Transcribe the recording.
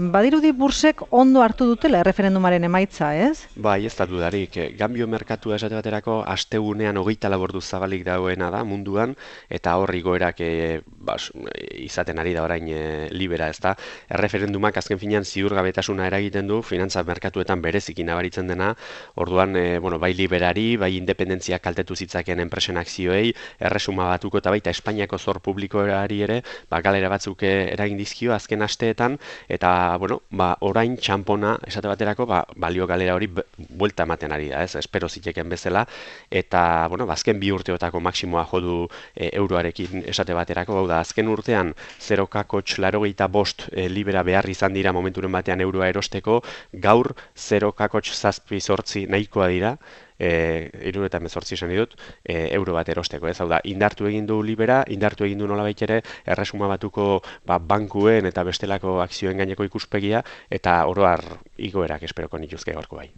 Badirudi bursek ondo hartu dutela erreferendumaren emaitza, ez? Bai, ez da dudarik. Gambio merkatua esate baterako astegunean 24 ordu zabalik dagoena da munduan eta hor igoerak izaten ari da orain libera, ez da. Erreferendumak azken finean ziurgabetasuna eragiten du finantza merkatuetan bereziki nabaritzen dena. Orduan, bai liberari, bai independentzia kaltetu zitzaken enpresen akzioei, erresuma batuko eta baita Espainiako zor publikoari ere, galera batzuk eragin dizkio azken asteetan eta orain txanpona esate baterako balio galera hori buelta ematen ari da, ez? Espero ziteken bezala eta azken 2 urteotako maksimoa jo du euroarekin esate baterako, hau da azken urtean 0,85 libera behar izan dira momenturen batean euroa erosteko, gaur 0,78 nahikoa dira. 78 esan ditut, euro bat erosteko, ez? Hau da, indartu egin du libera, indartu egin du nolabait ere erresuma batuko bankuen eta bestelako akzioen gaineko ikuspegia eta oro har igoerak esperoko nituzke gaurko bai.